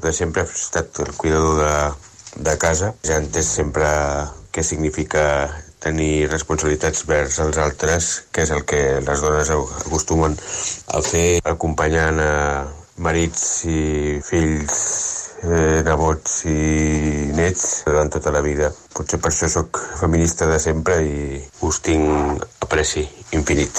De sempre he estat el cuidador de casa. Ja he entès sempre què significa tenir responsabilitats vers els altres, que és el que les dones acostumen a fer, acompanyant a marits i fills, nebots i nets durant tota la vida. Potser per això sóc feminista de sempre i us tinc apreci infinit.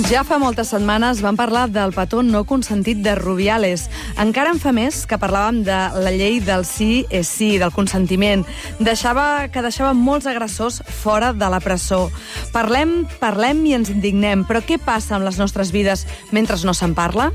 Ja fa moltes setmanes vam parlar del petó no consentit de Rubiales. Encara en fa més que parlàvem de la llei del sí és sí, del consentiment. Que deixava molts agressors fora de la presó. Parlem i ens indignem, però què passa amb les nostres vides mentre no se'n parla?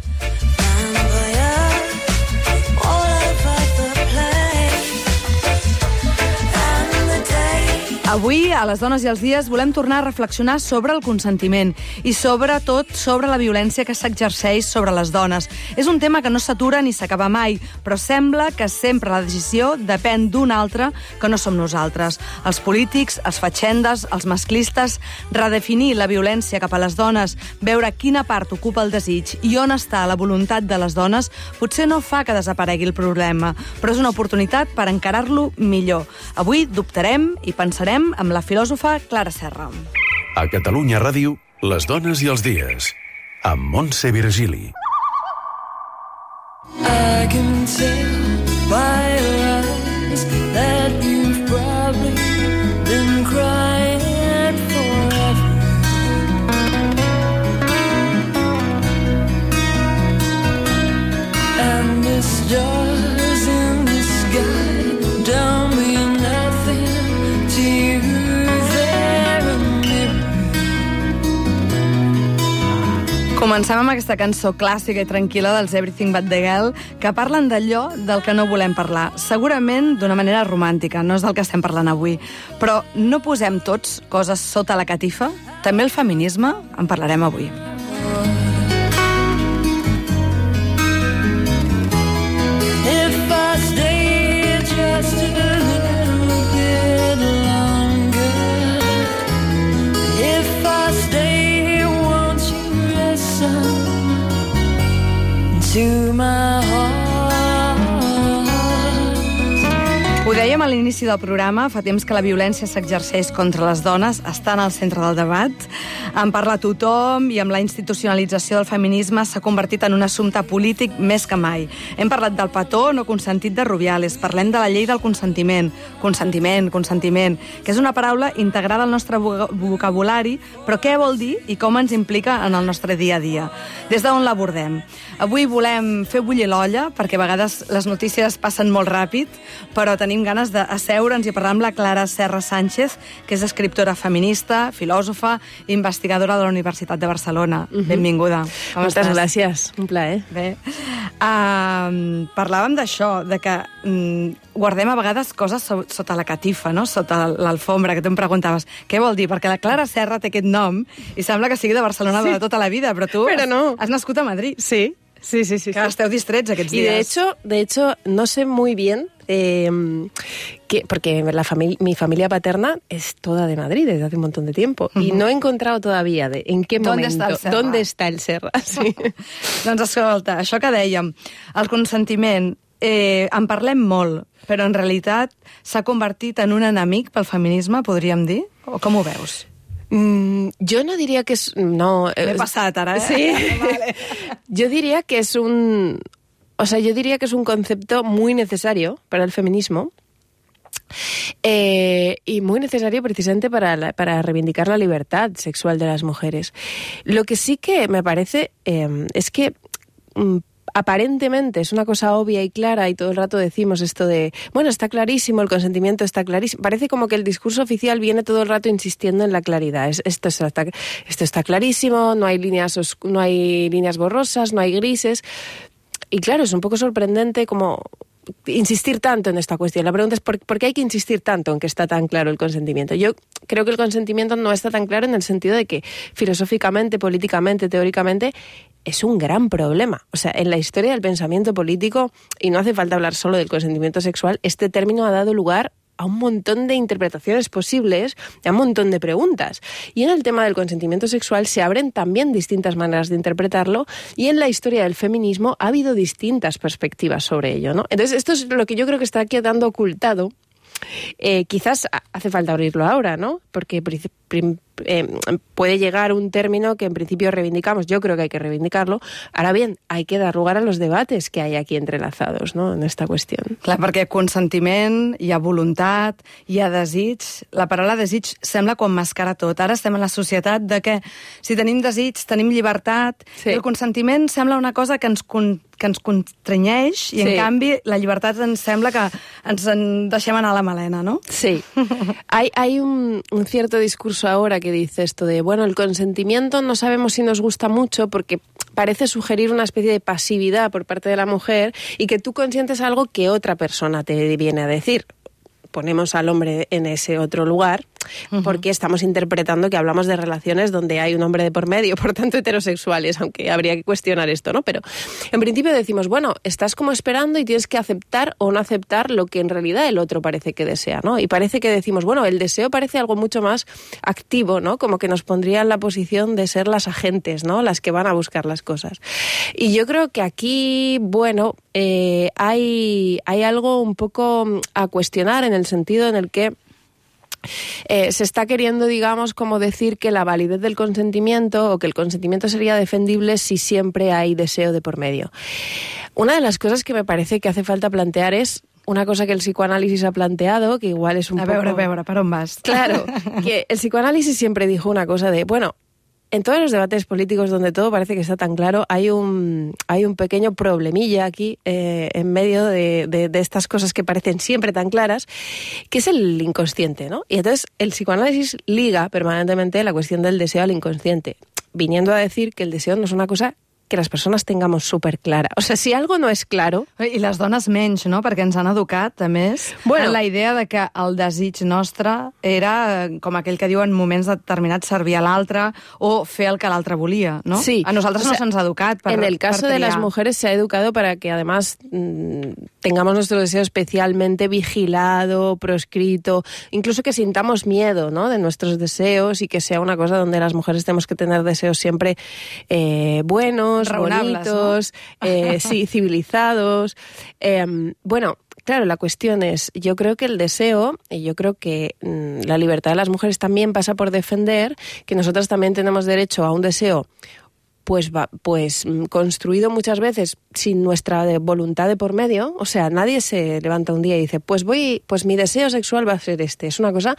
Avui, a Les dones i els dies, volem tornar a reflexionar sobre el consentiment i sobretot sobre la violència que s'exerceix sobre les dones. És un tema que no s'atura ni s'acaba mai, però sembla que sempre la decisió depèn d'un altre que no som nosaltres. Els polítics, els fatxendes, els masclistes, redefinir la violència cap a les dones, veure quina part ocupa el desig i on està la voluntat de les dones, potser no fa que desaparegui el problema, però és una oportunitat per encarar-lo millor. Avui dubtarem i pensarem amb la filòsofa Clara Serra. A Catalunya Ràdio, Les dones i els dies, amb Montse Virgili. I can tell by your eyes that you've probably been crying forever. And the stars in the sky don't mean nothing to you. Comencem amb aquesta cançó clàssica i tranquil·la dels Everything But The Girl, que parlen d'allò del que no volem parlar. Segurament d'una manera romàntica, no és del que estem parlant avui. Però no posem tots coses sota la catifa? També el feminisme en parlarem avui. If I stay just a little bit longer, if I stay, won't you listen to my heart? Ho dèiem a l'inici del programa, fa temps que la violència s'exerceix contra les dones, està en el centre del debat. En parla tothom i amb la institucionalització del feminisme s'ha convertit en un assumpte polític més que mai. Hem parlat del petó no consentit de Rubiales, parlem de la llei del consentiment. Consentiment, que és una paraula integrada al nostre vocabulari, però què vol dir i com ens implica en el nostre dia a dia? Des d'on l'abordem? Avui volem fer bullir l'olla, perquè a vegades les notícies passen molt ràpid, però tenim ganes d'asseure'ns i parlar amb la Clara Serra Sánchez, que és escriptora feminista, filòsofa i investigadora de la Universitat de Barcelona. Benvinguda. Moltes gràcies, un plaer. Bé. Parlàvem d'això, de que guardem a vegades coses sota la catifa, no? Sota l'alfombra, que tu em preguntaves què vol dir, perquè la Clara Serra té aquest nom i sembla que sigui de Barcelona de tota la vida, però tu has nascut a Madrid. Sí. Que esteu distrets aquests dies. Y de hecho, no sé muy bien, porque mi familia paterna es toda de Madrid desde hace un montón de tiempo, y no he encontrado todavía en qué momento, ¿dónde está el Serra? Sí. Doncs escolta, això que dèiem, el consentiment, en parlem molt, però en realitat s'ha convertit en un enemic pel feminisme, podríem dir? O com ho veus? Yo no diría que es... No, me he pasado ahora, ¿eh? Sí. Vale. Yo diría que es un concepto muy necesario para el feminismo y muy necesario precisamente para reivindicar la libertad sexual de las mujeres. Lo que sí que me parece es que... aparentemente es una cosa obvia y clara y todo el rato decimos esto de, bueno, está clarísimo, el consentimiento está clarísimo. Parece como que el discurso oficial viene todo el rato insistiendo en la claridad. Esto está clarísimo, no hay líneas borrosas, no hay grises. Y claro, es un poco sorprendente como insistir tanto en esta cuestión. La pregunta es ¿por qué hay que insistir tanto en que está tan claro el consentimiento? Yo creo que el consentimiento no está tan claro en el sentido de que filosóficamente, políticamente, teóricamente, es un gran problema. O sea, en la historia del pensamiento político, y no hace falta hablar solo del consentimiento sexual, este término ha dado lugar a un montón de interpretaciones posibles, a un montón de preguntas. Y en el tema del consentimiento sexual se abren también distintas maneras de interpretarlo, y en la historia del feminismo ha habido distintas perspectivas sobre ello, ¿no? Entonces, esto es lo que yo creo que está quedando ocultado. Quizás hace falta abrirlo ahora, ¿no? Porque puede llegar un término que en principio reivindicamos. Yo creo que hay que reivindicarlo. Ahora bien, hay que dar lugar a los debates que hay aquí entrelazados, no?, en esta qüestió. Clar, perquè consentiment, hi ha voluntat, hi ha desig. La paraula desig sembla com mascara tot. Ara estem en la societat de que si tenim desig, tenim llibertat, Sí. i el consentiment sembla una cosa que ens constrenyeix, i en Sí. canvi la llibertat ens sembla que ens en deixem anar a la melena, no? Sí. Hay un cierto discurso ahora que dice esto de, bueno, el consentimiento no sabemos si nos gusta mucho porque parece sugerir una especie de pasividad por parte de la mujer y que tú consientes algo que otra persona te viene a decir. Ponemos al hombre en ese otro lugar porque estamos interpretando que hablamos de relaciones donde hay un hombre de por medio, por tanto heterosexuales, aunque habría que cuestionar esto, ¿no? Pero en principio decimos, bueno, estás como esperando y tienes que aceptar o no aceptar lo que en realidad el otro parece que desea, ¿no? Y parece que decimos, bueno, el deseo parece algo mucho más activo, ¿no? Como que nos pondría en la posición de ser las agentes, ¿no? Las que van a buscar las cosas. Y yo creo que aquí, bueno, hay algo un poco a cuestionar en el sentido en el que se está queriendo, digamos, como decir que la validez del consentimiento o que el consentimiento sería defendible si siempre hay deseo de por medio. Una de las cosas que me parece que hace falta plantear es una cosa que el psicoanálisis ha planteado, que igual es un poco... A veure, per on vas? Claro, que el psicoanálisis siempre dijo una cosa de, bueno, en todos los debates políticos donde todo parece que está tan claro, hay un pequeño problemilla aquí en medio de estas cosas que parecen siempre tan claras, que es el inconsciente, ¿no? Y entonces el psicoanálisis liga permanentemente la cuestión del deseo al inconsciente, viniendo a decir que el deseo no es una cosa que les persones tengamos superclara. O sea, si algo no és claro... I les dones menys, no? Perquè ens han educat, a més, en la idea de que el desig nostre era, com aquell que diu en moments determinats, servir a l'altre o fer el que l'altre volia, ¿no? Sí. A nosaltres no se'ns ha educat per En el caso de las mujeres se ha educado para que además tengamos nuestro deseo especialmente vigilado, proscrito, incluso que sintamos miedo, ¿no?, de nuestros deseos y que sea una cosa donde las mujeres tenemos que tener deseos siempre buenos, bonitos, ¿no? Sí, civilizados. Bueno, claro, la cuestión es, yo creo que el deseo, y yo creo que la libertad de las mujeres también pasa por defender que nosotras también tenemos derecho a un deseo pues construido muchas veces sin nuestra voluntad de por medio. O sea, nadie se levanta un día y dice, pues mi deseo sexual va a ser este. És una cosa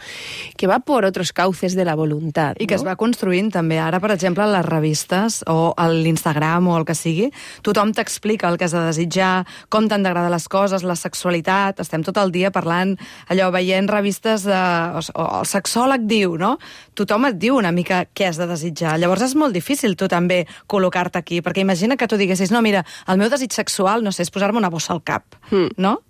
que va por otros cauces de la voluntad. I que es va construint també. Ara, per exemple, a les revistes o a l'Instagram o el que sigui, tothom t'explica el que has de desitjar, com t'han d'agradar les coses, la sexualitat. Estem tot el dia parlant, allò, veient revistes o el sexòleg diu, no? Tothom et diu una mica què has de desitjar. Llavors és molt difícil tu també col·locar-te aquí, perquè imagina que tu diguessis, no, mira, el meu desig sexual, no sé, és posar-me una bossa al cap, no?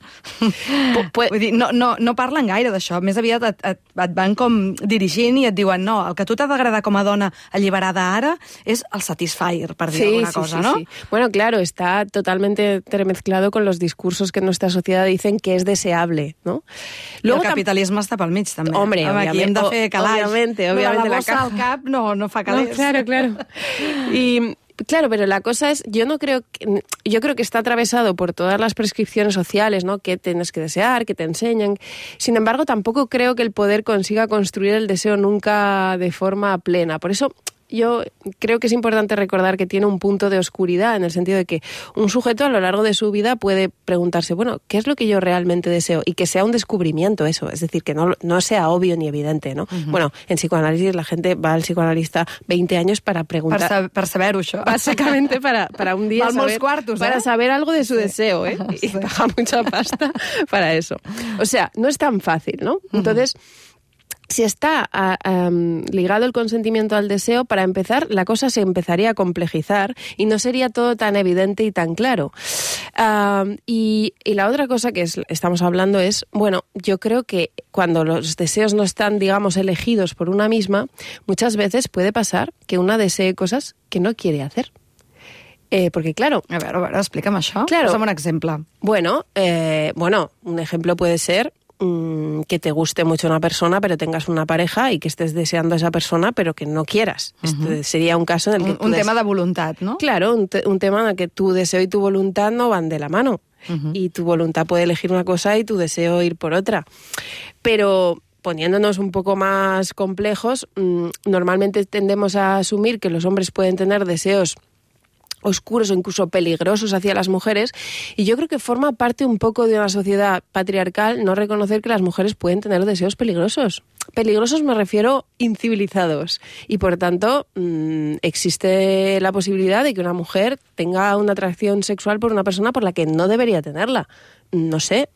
Vull dir, no parlen gaire d'això, més aviat et van com dirigint i et diuen, no, el que a tu t'ha d'agradar com a dona alliberada ara és el Satisfyer, per dir alguna cosa, ¿no? Sí. Bueno, claro, está totalmente entremezclado con los discursos que en nuestra sociedad dicen que es deseable, ¿no? Luego, el capitalisme està pel mig, també. Hombre, aquí hem de fer calaix. Obviamente, la bossa al cap no fa calés. No, claro. Y claro, pero la cosa es, yo creo que está atravesado por todas las prescripciones sociales, ¿no?, que tienes que desear, que te enseñan. Sin embargo, tampoco creo que el poder consiga construir el deseo nunca de forma plena. Por eso yo creo que es importante recordar que tiene un punto de oscuridad, en el sentido de que un sujeto a lo largo de su vida puede preguntarse, bueno, ¿qué es lo que yo realmente deseo? Y que sea un descubrimiento eso, es decir, que no sea obvio ni evidente, ¿no? Bueno, en psicoanálisis la gente va al psicoanalista 20 años para preguntar... Per saber-ho, això. Básicamente para un día saber... Cuartos, para saber algo de su deseo, ¿eh? Y paga mucha pasta para eso. O sea, no es tan fácil, ¿no? Entonces... si está ligado el consentimiento al deseo, para empezar, la cosa se empezaría a complejizar y no sería todo tan evidente y tan claro. Y la otra cosa que estamos hablando es, bueno, yo creo que cuando los deseos no están, digamos, elegidos por una misma, muchas veces puede pasar que una desee cosas que no quiere hacer. Porque claro... A veure, explica'm això. Claro. Posa'm un exemple. Bueno, un ejemplo puede ser que te guste mucho una persona, pero tengas una pareja y que estés deseando a esa persona, pero que no quieras. Este sería un caso en el que... Un tema de voluntat, ¿no? Claro, un tema en el que tu deseo y tu voluntad no van de la mano. Y tu voluntad puede elegir una cosa y tu deseo ir por otra. Pero... poniéndonos un poco más complejos, normalmente tendemos a asumir que los hombres pueden tener deseos oscuros o incluso peligrosos hacia las mujeres, y yo creo que forma parte un poco de una sociedad patriarcal no reconocer que las mujeres pueden tener deseos peligrosos. Peligrosos me refiero incivilizados, y por tanto existe la posibilidad de que una mujer tenga una atracción sexual por una persona por la que no debería tenerla. No sé,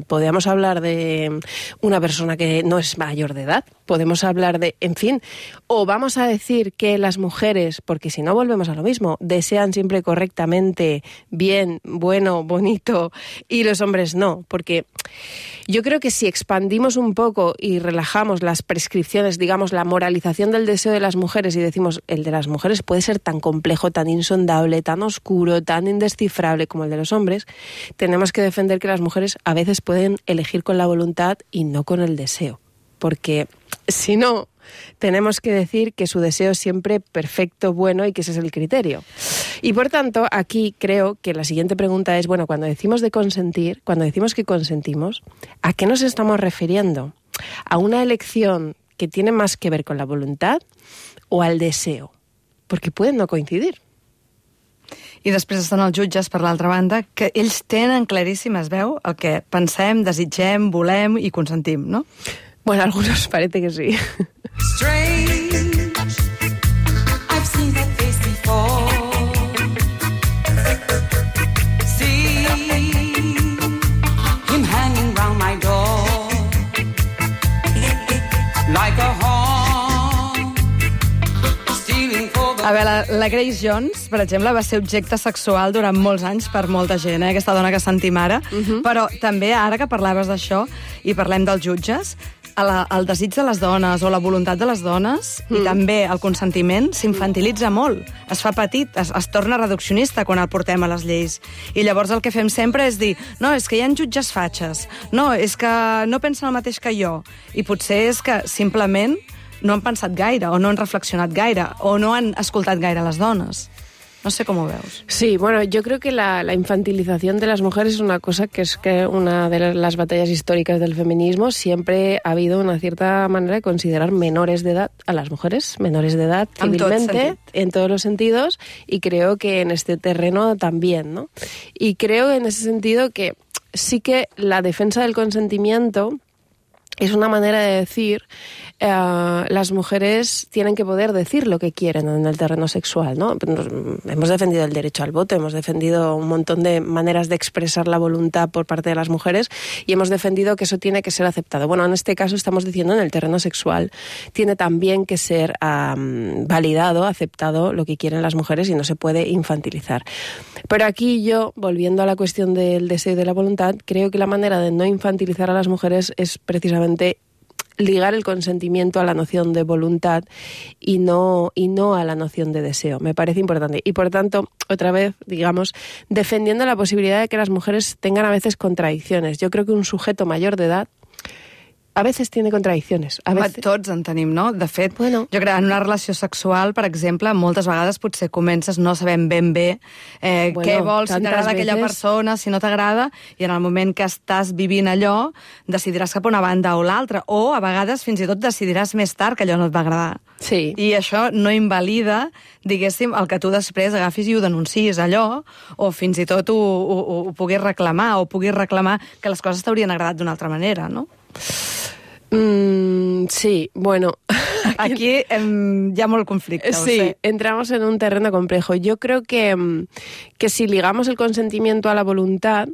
podríamos hablar de una persona que no es mayor de edad, podemos hablar de, en fin, o vamos a decir que las mujeres, porque si no volvemos a lo mismo, desean siempre correctamente, bien, bueno, bonito, y los hombres no, porque yo creo que si expandimos un poco y relajamos las prescripciones, digamos, la moralización del deseo de las mujeres y decimos, el de las mujeres puede ser tan complejo, tan insondable, tan oscuro, tan indescifrable como el de los hombres, tenemos que defender que las mujeres a veces pueden elegir con la voluntad y no con el deseo, porque si no, tenemos que decir que su deseo es siempre perfecto, bueno, y que ese es el criterio. Y por tanto, aquí creo que la siguiente pregunta es, bueno, cuando decimos de consentir, cuando decimos que consentimos, ¿a qué nos estamos refiriendo? ¿A una elección que tiene más que ver con la voluntad o al deseo? Porque pueden no coincidir. I després estan els jutges, per l'altra banda, que ells tenen claríssim, es veu, el que pensem, desitgem, volem i consentim, no? Bueno, algunos parece que sí. Strange, I've seen that face before. See him hanging round my door like a hawk stealing for the... A veure, la Grace Jones, per exemple, va ser objecte sexual durant molts anys per molta gent, aquesta dona que sentim ara, però també, ara que parlaves d'això i parlem dels jutges, el desig de les dones o la voluntat de les dones i també el consentiment s'infantilitza molt. Es fa petit, es torna reduccionista quan el portem a les lleis. I llavors el que fem sempre és dir no, és que hi ha jutges fatxes, no, és que no pensen el mateix que jo. I potser és que simplement no han pensat gaire o no han reflexionat gaire o no han escoltat gaire les dones. No sé cómo veos. Sí, bueno, yo creo que la infantilización de las mujeres es una cosa que es que una de las batallas históricas del feminismo. Siempre ha habido una cierta manera de considerar menores de edad a las mujeres, menores de edad civilmente, en todos los sentidos, y creo que en este terreno también, ¿no? Y creo en ese sentido que sí que la defensa del consentimiento es una manera de decir las mujeres tienen que poder decir lo que quieren en el terreno sexual, ¿no? Hemos defendido el derecho al voto, hemos defendido un montón de maneras de expresar la voluntad por parte de las mujeres y hemos defendido que eso tiene que ser aceptado. Bueno, en este caso estamos diciendo en el terreno sexual tiene también que ser validado, aceptado lo que quieren las mujeres y no se puede infantilizar. Pero aquí yo, volviendo a la cuestión del deseo y de la voluntad, creo que la manera de no infantilizar a las mujeres es precisamente ligar el consentimiento a la noción de voluntad y no a la noción de deseo. Me parece importante. Y por tanto, otra vez, digamos, defendiendo la posibilidad de que las mujeres tengan a veces contradicciones. Yo creo que un sujeto mayor de edad a veces tiene contradiccions. Tots en tenim, no? De fet, jo crec que en una relació sexual, per exemple, moltes vegades potser comences no sabent ben bé què vols, si t'agrada aquella persona, si no t'agrada, i en el moment que estàs vivint allò, decidiràs cap a una banda o l'altra, o a vegades fins i tot decidiràs més tard que allò no et va agradar. Sí. I això no invalida, diguéssim, el que tu després agafis i ho denuncis allò, o fins i tot ho puguis reclamar, o puguis reclamar que les coses t'haurien agradat d'una altra manera, no? Sí, bueno... Aquí hi ha molt conflicte, ho Sí, sé. entramos en un terreno complejo. Yo creo que si ligamos el consentimiento a la voluntad,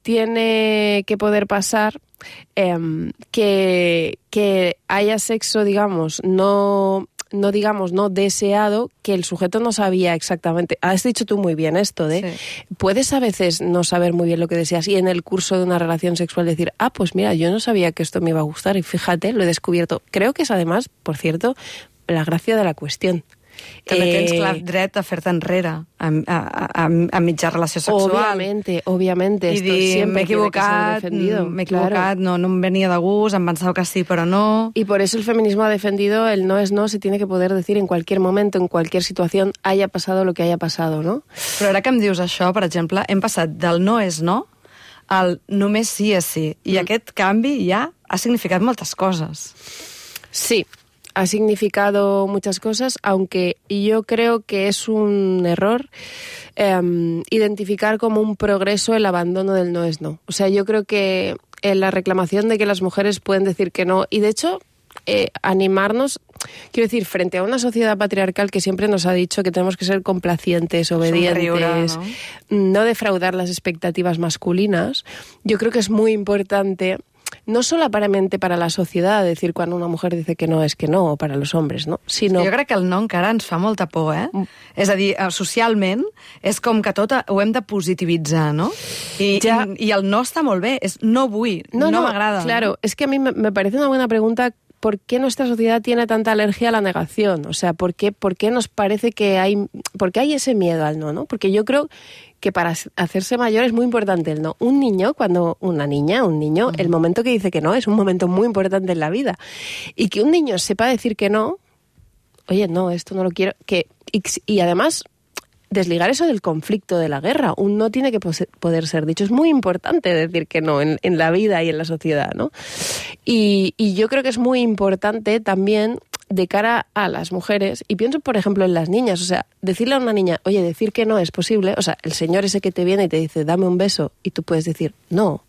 tiene que poder pasar que haya sexo, digamos, no deseado, que el sujeto no sabía exactamente. Has dicho tú muy bien esto de, puedes a veces no saber muy bien lo que deseas y en el curso de una relación sexual decir, pues mira, yo no sabía que esto me iba a gustar y fíjate, lo he descubierto. Creo que es además, por cierto, la gracia de la cuestión. També tens clar dret a fer-te enrere a mitja relació sexual. Obviamente. I dir, m'he equivocat, no em venia de gust, em pensava que sí, però no. Y por eso el feminismo ha defendido el no es no, se tiene que poder decir en cualquier momento, en cualquier situación, haya pasado lo que haya pasado, ¿no? Però ara que em dius això, per exemple, hem passat del no és no al només sí és sí. I aquest canvi ja ha significat moltes coses. Sí. Ha significado muchas cosas, aunque yo creo que es un error identificar como un progreso el abandono del no es no. O sea, yo creo que la reclamación de que las mujeres pueden decir que no, y de hecho animarnos, quiero decir, frente a una sociedad patriarcal que siempre nos ha dicho que tenemos que ser complacientes, obedientes, no defraudar las expectativas masculinas, yo creo que es muy importante, no solamente para la societat, decir quan una mujer dice que no és que no, o para los hombres, no? Sinó... Jo crec que el no encara ens fa molta por, eh? És a dir, socialment és com que tot ho hem de positivitzar, no? I el no està molt bé, és no vull, no m'agrada. Claro, es que a mí me parece una buena pregunta. ¿Por qué nuestra sociedad tiene tanta alergia a la negación? O sea, ¿por qué nos parece que hay... ¿Por qué hay ese miedo al no, no? Porque yo creo que para hacerse mayor es muy importante el no. Un niño, el momento que dice que no es un momento muy importante en la vida. Y que un niño sepa decir que no, oye, no, esto no lo quiero, y además... desligar eso del conflicto de la guerra. Un no tiene que poder ser dicho. Es muy importante decir que no en la vida y en la sociedad, ¿no? Y yo creo que es muy importante también de cara a las mujeres, y pienso, por ejemplo, en las niñas, o sea, decirle a una niña, oye, decir que no es posible, o sea, el señor ese que te viene y te dice, dame un beso, y tú puedes decir, no.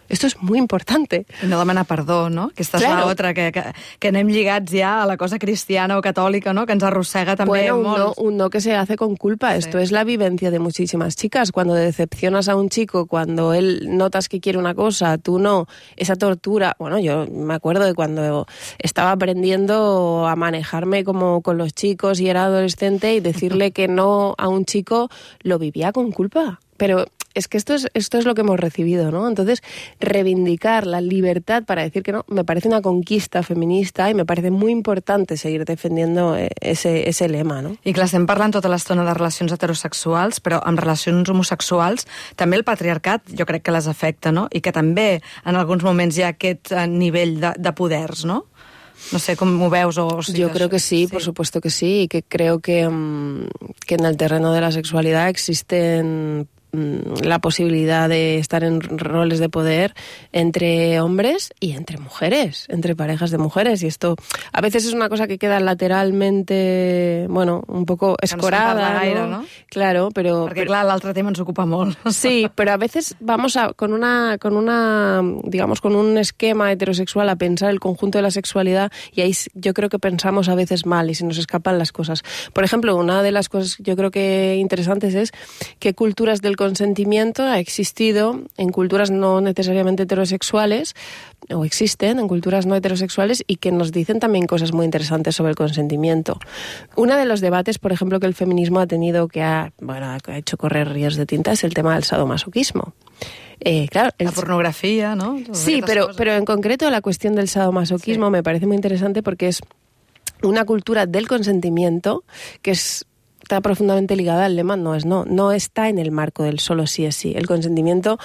Esto es muy importante. I no demanar perdó, no? Aquesta és l'altra, que anem lligats ja a la cosa cristiana o catòlica, no? Que ens arrossega també molt. Un no que se hace con culpa. Sí. Esto es la vivencia de muchísimas chicas. Cuando decepcionas a un chico, cuando él notas que quiere una cosa, tú no, esa tortura. Bueno, yo me acuerdo de cuando estaba aprendiendo a manejarme como con los chicos y era adolescente y decirle que no a un chico, lo vivía con culpa. Pero... es que esto es lo que hemos recibido, ¿no? Entonces, reivindicar la libertad para decir que no, me parece una conquista feminista y me parece muy importante seguir defendiendo ese lema, no? I clar, estem parlant tota l'estona de relacions heterosexuals, però amb relacions homosexuals també el patriarcat jo crec que les afecta, no? I que també en alguns moments hi ha aquest nivell de poders, no? No sé com ho veus o... Yo creo que sí, por supuesto que sí, y que creo que en el terreno de la sexualidad existen la posibilidad de estar en roles de poder entre hombres y entre mujeres, entre parejas de mujeres, y esto a veces es una cosa que queda lateralmente, bueno, un poco escorada, gaire, ¿no? Claro, pero... Perquè clar, l'altre tema ens ocupa molt. Sí, pero a veces vamos con un esquema heterosexual a pensar el conjunto de la sexualidad y ahí yo creo que pensamos a veces mal y se nos escapan las cosas. Por ejemplo, una de las cosas yo creo que interesantes es que culturas del consentimiento ha existido en culturas no necesariamente heterosexuales, o existen en culturas no heterosexuales, y que nos dicen también cosas muy interesantes sobre el consentimiento. Uno de los debates, por ejemplo, que el feminismo ha tenido, que ha hecho correr ríos de tinta, es el tema del sadomasoquismo. Claro, la pornografía, ¿no? Sí, pero en concreto la cuestión del sadomasoquismo me parece muy interesante porque es una cultura del consentimiento que está profundamente ligada al lema no es no. No está en el marco del solo sí es sí. El consentimiento,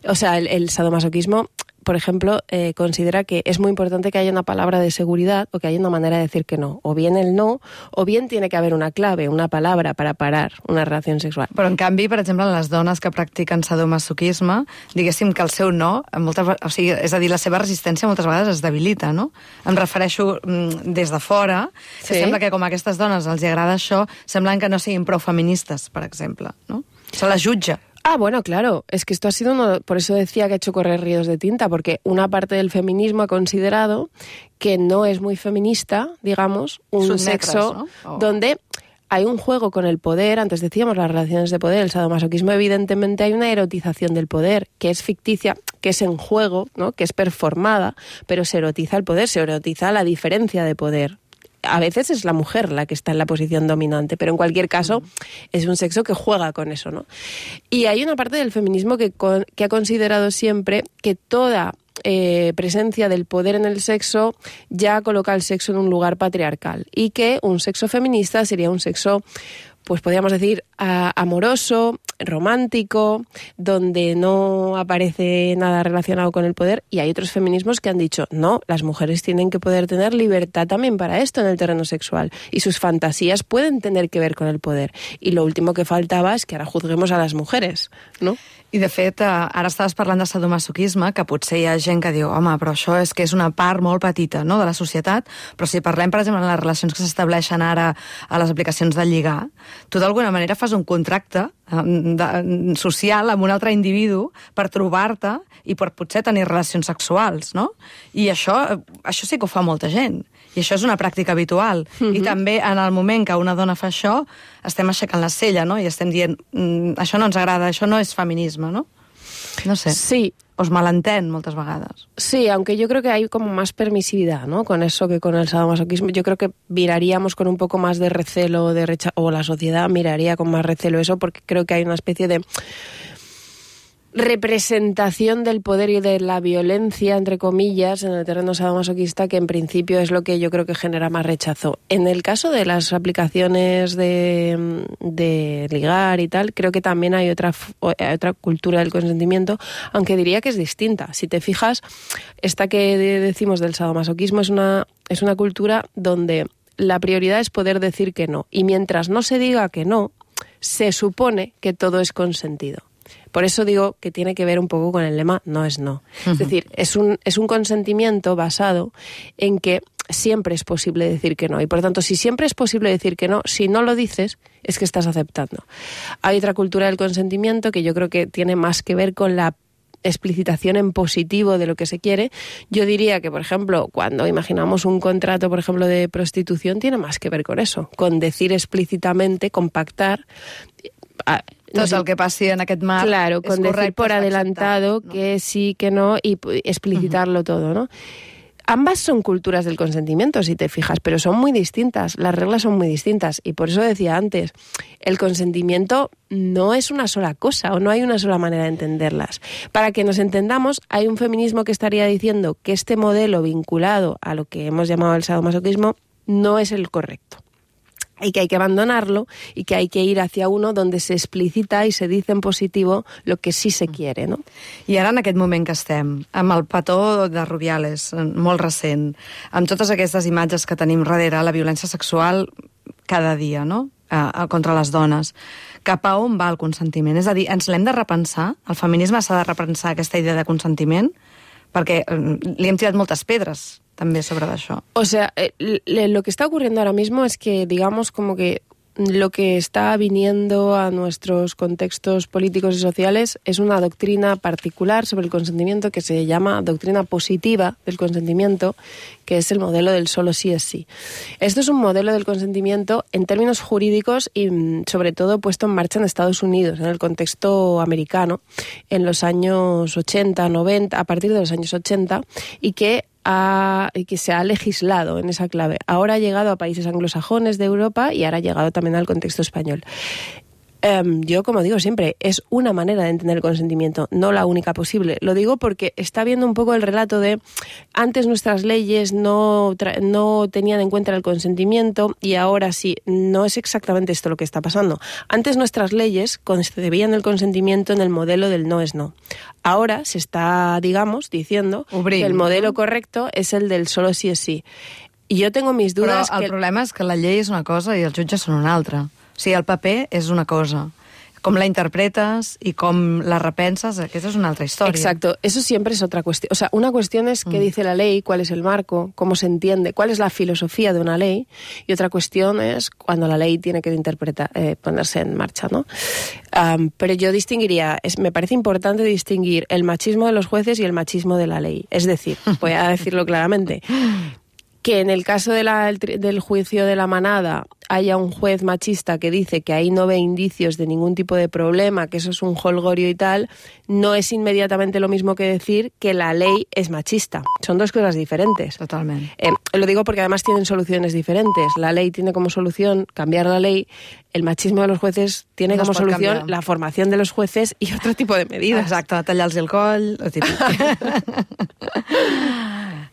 o sea, el sadomasoquismo, por ejemplo, considera que es muy importante que haya una palabra de seguridad o que haya una manera de decir que no. O bien el no, o bien tiene que haber una clave, una palabra para parar una relació sexual. Però, en canvi, per exemple, les dones que practiquen sadomasoquisme, diguéssim que el seu no, és a dir, la seva resistència moltes vegades es debilita, no? Em refereixo des de fora, que sembla que com a aquestes dones els agrada això, semblen que no siguin prou feministes, per exemple, no? Se les jutja. Bueno, claro, es que esto ha sido por eso decía que ha hecho correr ríos de tinta, porque una parte del feminismo ha considerado que no es muy feminista, digamos, un sexo, ¿no? Donde hay un juego con el poder. Antes decíamos las relaciones de poder, el sadomasoquismo, evidentemente hay una erotización del poder, que es ficticia, que es en juego, ¿no? Que es performada, pero se erotiza el poder, se erotiza la diferencia de poder. A veces es la mujer la que está en la posición dominante, pero en cualquier caso es un sexo que juega con eso, ¿no? Y hay una parte del feminismo que ha considerado siempre que toda presencia del poder en el sexo ya coloca el sexo en un lugar patriarcal y que un sexo feminista sería un sexo, pues podríamos decir, amoroso, romántico, donde no aparece nada relacionado con el poder. Y hay otros feminismos que han dicho, no, las mujeres tienen que poder tener libertad también para esto en el terreno sexual y sus fantasías pueden tener que ver con el poder. Y lo último que faltava és que ara juzguemos a les mujeres, no? I, de fet, ara estaves parlant de sadomasoquisme, que potser hi ha gent que diu, home, però això és que és una part molt petita, no?, de la societat, però si parlem, per exemple, de les relacions que s'estableixen ara a les aplicacions de lligar, tu d'alguna manera fas un contracte social amb un altre individu per trobar-te i per potser tenir relacions sexuals, no? I això sí que ho fa molta gent. I això és una pràctica habitual. I també en el moment que una dona fa això, estem aixecant la cella, no? I estem dient, això no ens agrada, això no és feminisme, ¿no? No sé. Sí. Os malentén moltes vegades. Sí, aunque yo creo que hay como más permisividad, ¿no?, con eso que con el sadomasoquismo. Yo creo que miraríamos con un poco más de recelo, o la sociedad miraría con más recelo eso, porque creo que hay una especie de representación del poder y de la violencia, entre comillas, en el terreno sadomasoquista, que en principio es lo que yo creo que genera más rechazo. En el caso de las aplicaciones de ligar y tal, creo que también hay otra cultura del consentimiento, aunque diría que es distinta. Si te fijas, esta que decimos del sadomasoquismo es una cultura donde la prioridad es poder decir que no. Y mientras no se diga que no, se supone que todo es consentido. Por eso digo que tiene que ver un poco con el lema no es no. Es decir, es un consentimiento basado en que siempre es posible decir que no. Y por lo tanto, si siempre es posible decir que no, si no lo dices, es que estás aceptando. Hay otra cultura del consentimiento que yo creo que tiene más que ver con la explicitación en positivo de lo que se quiere. Yo diría que, por ejemplo, cuando imaginamos un contrato, por ejemplo, de prostitución, tiene más que ver con eso, con decir explícitamente, con pactar. Tot el que passi en aquest marc. Claro, con decir por adelantado ¿no? que sí, que no, y explicitarlo todo, ¿no? Ambas son culturas del consentimiento, si te fijas, pero son muy distintas, las reglas son muy distintas. Y por eso decía antes, el consentimiento no es una sola cosa, o no hay una sola manera de entenderlas. Para que nos entendamos, hay un feminismo que estaría diciendo que este modelo vinculado a lo que hemos llamado el sadomasoquismo no es el correcto. Y que hay que abandonarlo y que hay que ir hacia uno donde se explicita i se dice en positivo lo que sí se quiere, no? I ara en aquest moment que estem, amb el petó de Rubiales, molt recent, amb totes aquestes imatges que tenim darrere, la violència sexual cada dia, no?, contra les dones, cap a on va el consentiment? És a dir, ens l'hem de repensar? El feminisme s'ha de repensar aquesta idea de consentiment? Perquè li hem tirat moltes pedres también sobre eso. O sea, lo que está ocurriendo ahora mismo es que, digamos, como que lo que está viniendo a nuestros contextos políticos y sociales es una doctrina particular sobre el consentimiento que se llama doctrina positiva del consentimiento, que es el modelo del solo sí es sí. Esto es un modelo del consentimiento en términos jurídicos y sobre todo puesto en marcha en Estados Unidos, en el contexto americano, en los años 80, 90, a partir de los años 80, y que se ha legislado en esa clave. Ahora ha llegado a países anglosajones de Europa y ahora ha llegado también al contexto español. Yo, como digo siempre, es una manera de entender el consentimiento, no la única posible. Lo digo porque está viendo un poco el relato de antes nuestras leyes no tenían en cuenta el consentimiento y ahora sí. No es exactamente esto lo que está pasando. Antes nuestras leyes concebían el consentimiento en el modelo del no es no. Ahora se está, digamos, diciendo que el modelo correcto es el del solo sí es sí. I jo tengo mis dudas. Però el problema és que la llei és una cosa i els jutges són una altra. O sigui, el paper és una cosa. Com la interpretes y com la repenses, aquesta és una altra història. Exacto, eso siempre es otra cuestión. O sea, una cuestión es qué dice la ley, cuál es el marco, cómo se entiende, cuál es la filosofía de una ley, y otra cuestión es cuando la ley tiene que ponerse en marcha, ¿no? Pero yo distinguiría, me parece importante distinguir el machismo de los jueces y el machismo de la ley. Es decir, voy a decirlo claramente, que en el caso del juicio de la manada haya un juez machista que dice que ahí no ve indicios de ningún tipo de problema, que eso es un jolgorio y tal, no es inmediatamente lo mismo que decir que la ley es machista. Son dos cosas diferentes. Totalmente. Lo digo porque además tienen soluciones diferentes. La ley tiene como solución cambiar la ley, el machismo de los jueces tiene No como es pot solución canviar. la formación de los jueces y otro tipo de medidas. Exacte, tallar-los el coll, lo típic.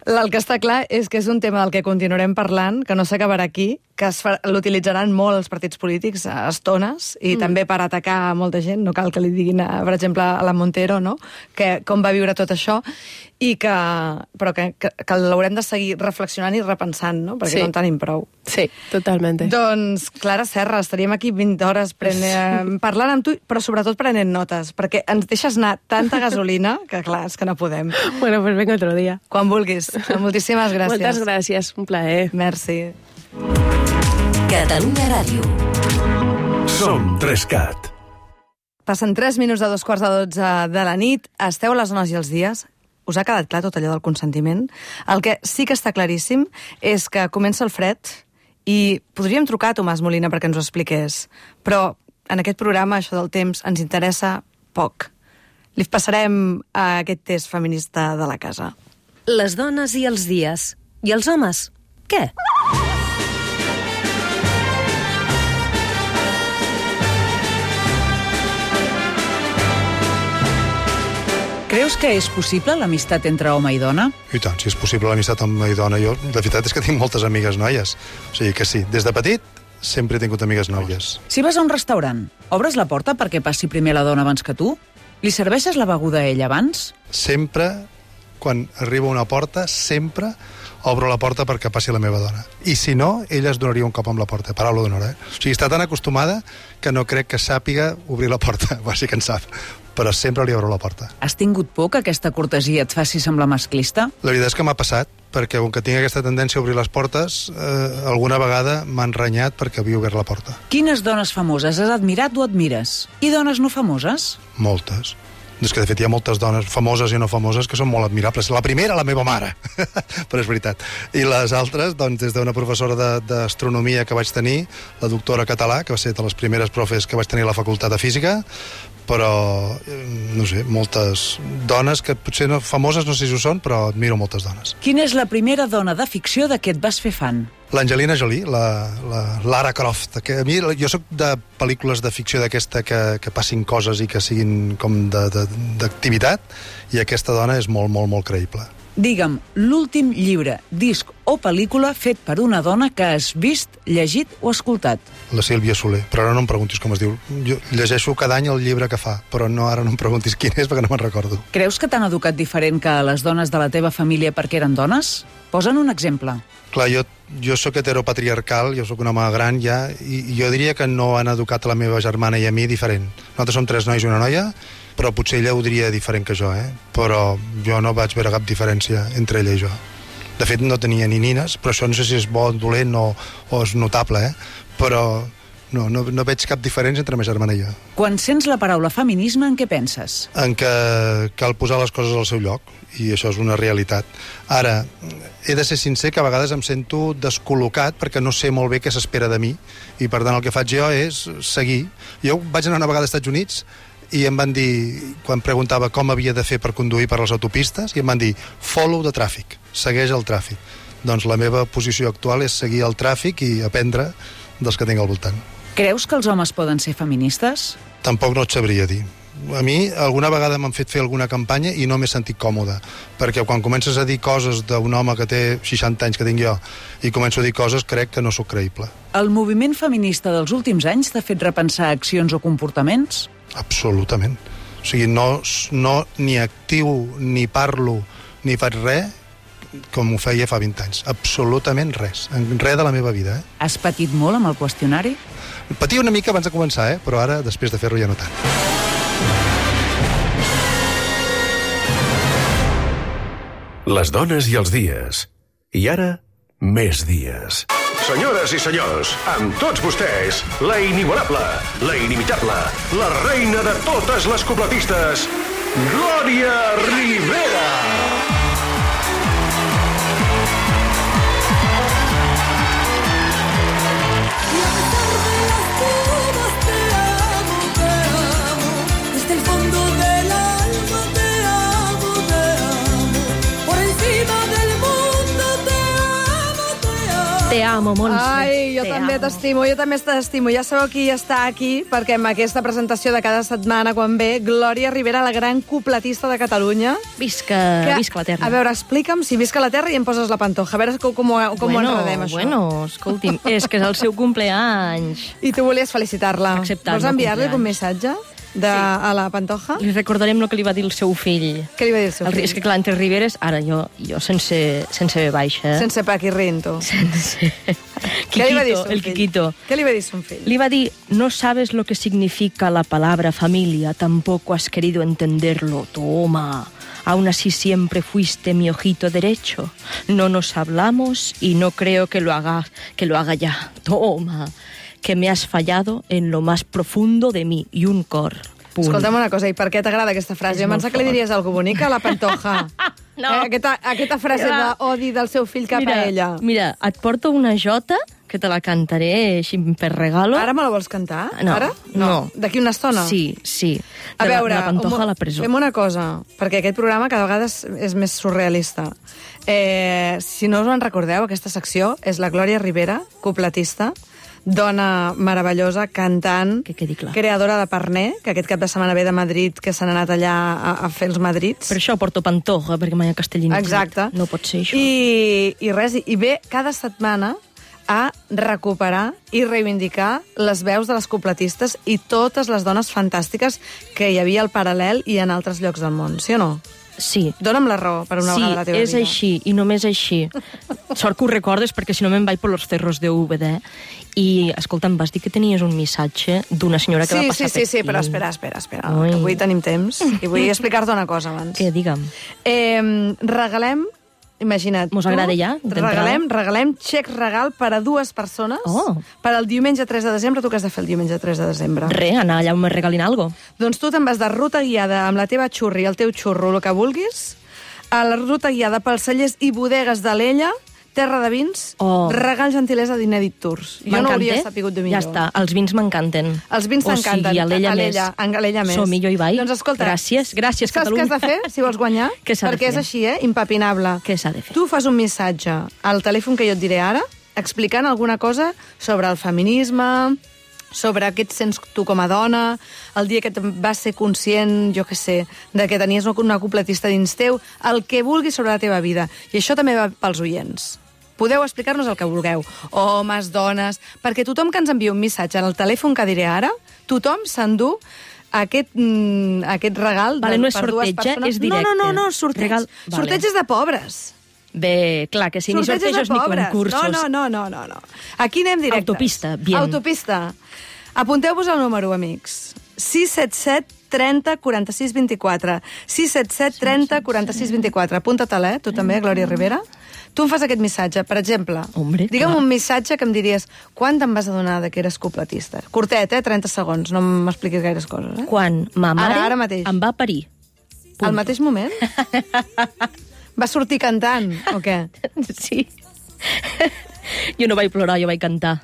El que està clar és que és un tema del que continuarem parlant, que no s'acabarà aquí, que l'utilitzaran molt els partits polítics a estones i també per atacar molta gent. No cal que li diguin, per exemple, a la Montero, no? Que com va viure tot això, i però que l'haurem de seguir reflexionant i repensant, no? Perquè no en tenim prou. Sí, totalmente. Doncs, Clara Serra, estaríem aquí 20 hores parlant amb tu, però sobretot prenent notes, perquè ens deixes anar tanta gasolina que, clar, és que no podem. Bueno, pues venga otro día. Quan vulguis. Moltíssimes gràcies. Moltes gràcies, un plaer. Merci. Catalunya Ràdio. Som 3CAT. Passen 3 minuts de 2:45 de la nit. Esteu a les zones i els dies. Us ha quedat clar tot allò del consentiment? El que sí que està claríssim és que comença el fred i podríem trucar a Tomàs Molina perquè ens ho expliqués. Però en aquest programa això del temps ens interessa poc. Li passarem a aquest test feminista de la casa. Les dones i els dies. I els homes? Què? Creus que és possible l'amistat entre home i dona? I tant, si és possible l'amistat amb home i dona. Jo, la veritat és que tinc moltes amigues noies. O sigui que sí, des de petit sempre he tingut amigues noies. Si vas a un restaurant, obres la porta perquè passi primer la dona abans que tu? Li serveixes la beguda a ella abans? Sempre, quan arribo a una porta, sempre obro la porta perquè passi la meva dona. I si no, ella es donaria un cop amb la porta, paraula d'honor, eh? O sigui, està tan acostumada que no crec que sàpiga obrir la porta. Va, sí que en sap, però sempre li obro la porta. Has tingut por que aquesta cortesia et faci semblar masclista? La veritat és que m'ha passat, perquè com que tinc aquesta tendència a obrir les portes, alguna vegada m'han renyat perquè havia obert la porta. Quines dones famoses has admirat o admires? I dones no famoses? Moltes. És que, de fet, hi ha moltes dones famoses i no famoses que són molt admirables. La primera, la meva mare, però és veritat. I les altres, doncs, des d'una professora d'astronomia que vaig tenir, la doctora Català, que va ser de les primeres profes que vaig tenir a la facultat de física, però, no sé, moltes dones que potser no, famoses, no sé si ho són, però admiro moltes dones. Quina és la primera dona de ficció de què et vas fer fan? L'Angelina Jolie, la Lara Croft. Que a mi, jo sóc de pel·lícules de ficció d'aquesta que passin coses i que siguin com d'activitat, i aquesta dona és molt, molt, molt creïble. Digue'm, l'últim llibre, disc o pel·lícula fet per una dona que has vist, llegit o escoltat. La Sílvia Soler, però ara no em preguntis com es diu. Jo llegeixo cada any el llibre que fa, però no, ara no em preguntis quin és perquè no me'n recordo. Creus que t'han educat diferent que a les dones de la teva família perquè eren dones? Posa'n un exemple. Clar, jo sóc heteropatriarcal, jo sóc un home gran ja, i jo diria que no han educat la meva germana i a mi diferent. Nosaltres som 3 nois i una noia, però potser ella ho diria diferent que jo, però jo no vaig veure cap diferència entre ella i jo. De fet, no tenia ni nines, però això no sé si és bo, dolent o és notable, però no veig cap diferència entre la meva germana i jo. Quan sents la paraula feminisme, en què penses? En que cal posar les coses al seu lloc, i això és una realitat. Ara, he de ser sincer que a vegades em sento descol·locat perquè no sé molt bé què s'espera de mi, i per tant el que faig jo és seguir. Jo vaig anar una vegada als Estats Units i em van dir, quan preguntava com havia de fer per conduir per les autopistes, i em van dir, follow the traffic, segueix el tràfic. Doncs la meva posició actual és seguir el tràfic i aprendre dels que tinc al voltant. Creus que els homes poden ser feministes? Tampoc no et sabria dir. A mi alguna vegada m'han fet fer alguna campanya i no m'he sentit còmode, perquè quan comences a dir coses d'un home que té 60 anys que tinc jo i començo a dir coses, crec que no sóc creïble. El moviment feminista dels últims anys t'ha fet repensar accions o comportaments? Absolutament. O sigui, no ni actiu, ni parlo, ni faig res com ho feia fa 20 anys. Absolutament res. Res de la meva vida, Has patit molt amb el qüestionari? Patia una mica abans de començar, però ara, després de fer-lo, ja no tant. Les dones i els dies. I ara, més dies. Senyores i senyors, amb tots vostès, la inigualable, la inimitable, la reina de totes les cupletistes, Glòria Rivera! Te amo, Montse. Ai, jo Te també amo. t'estimo, jo també t'estimo. Ja sabeu qui està aquí, perquè amb aquesta presentació de cada setmana, quan ve, Glòria Rivera, la gran cupletista de Catalunya. Visca la terra. A veure, explica'm si visca la terra i em poses la pantoja. A veure com ho enredem, això. Bueno, escolti'm, és que és el seu cumpleanys. I tu volies felicitar-la. Acceptar Vols el enviar-li cumpleaños. un missatge a la pantoja? Li recordarem el que li va dir el seu fill. Què li va dir el seu fill? És que clar, entre Riveres, ara jo sense B baixa. Sense paquirrin, tu. Sense... Què li va dir Quiquito, son el fill? Quiquito. Què li va dir son fill? Le iba a decir, no sabes lo que significa la palabra familia, tampoco has querido entenderlo. Toma. Aún así siempre fuiste mi ojito derecho. No nos hablamos y no creo que lo haga ya. Toma. Que me has fallado en lo más profundo de mí. Y un cor. Punt. Escolta'm una cosa, i per què t'agrada aquesta frase? És Jo pensava molt que li fort. diries alguna bonica a la pantoja. No. Aquesta frase d'odi del seu fill cap a ella. Mira, et porto una jota que te la cantaré així per regalo. Ara me la vols cantar? No, Ara? no. D'aquí una estona? Sí. A veure, la pantoja a la presó. fem una cosa, perquè aquest programa cada vegada és més surrealista. Si no us en recordeu, aquesta secció és la Glòria Rivera, cupletista, dona meravellosa, cantant, Que quedi clar. creadora de Parner, que aquest cap de setmana ve de Madrid, que s'han anat allà a fer els madrids. Per això porto pantoja, perquè mai ha castellanitzat. Exacte. No pot ser això. I res, i ve cada setmana a recuperar i reivindicar les veus de les cupletistes i totes les dones fantàstiques que hi havia al Paral·lel i en altres llocs del món, sí o no? Sí. Dóna'm la raó per una vegada a la teva vida. Sí, és així, i només així. Sort que ho recordes, perquè si no me'n vaig per los cerros de UBD. I, escolta, em vas dir que tenies un missatge d'una senyora que va passar per Sí, aquí. però espera, Ui. que avui tenim temps i vull explicar-te una cosa abans. Què, digue'm. Regalem, imagina't, Mos agrada ja, d'entrada? regalem xec regal per a 2 persones Oh. per al diumenge 3 de desembre. Tu què has de fer el diumenge 3 de desembre? Re, anar allà on me regalin algo. Doncs tu te'n vas de ruta guiada amb la teva xurri, el teu xurro, el que vulguis, a la ruta guiada pels cellers i bodegues d'Alella, Terra de Vins, regal gentilesa d'Inèdit Tours. Jo no hauria sapigut de millor. Ja està, els vins m'encanten. Els vins t'encanten. O sigui, Alella més. Alella més. Som-hi, jo hi vaig. Doncs escolta, Gràcies, saps Catalunya. què has de fer si vols guanyar? Què s'ha de Perquè és fer? així, impepinable. Què s'ha de fer? Tu fas un missatge al telèfon que jo et diré ara, explicant alguna cosa sobre el feminisme, sobre què et sents tu com a dona, el dia que vas ser conscient, jo què sé, de que tenies una cupletista dins teu, el que vulguis sobre la teva vida. I això també va pels oients. Podeu explicar-nos el que vulgueu. Homes, dones... Perquè tothom que ens envia un missatge al telèfon que diré ara, tothom s'endú aquest regal Vale, no és per 2 sorteig, persones. és directe. No, sorteig. Regal, vale. Sorteig és de pobres. Bé, clar, que si ni Sorteig és de sortejos ni pobres. concursos. No. Aquí anem directes. Autopista, bien. Autopista. Apunteu-vos el número, amics. 677 30 46 24. 677 30 46 24. Apunta-te'l, tu també, Glòria Rivera. Tu em fas aquest missatge, per exemple. Hombre, digue'm clar. un missatge que em diries quan te'n vas adonar que eres cupletista. Curtet, 30 segons, no m'expliquis gaires coses. Quan ma mare Ara mateix. em va parir. Al mateix moment? Va sortir cantant, o què? Sí. Jo no vaig plorar, jo vaig cantar.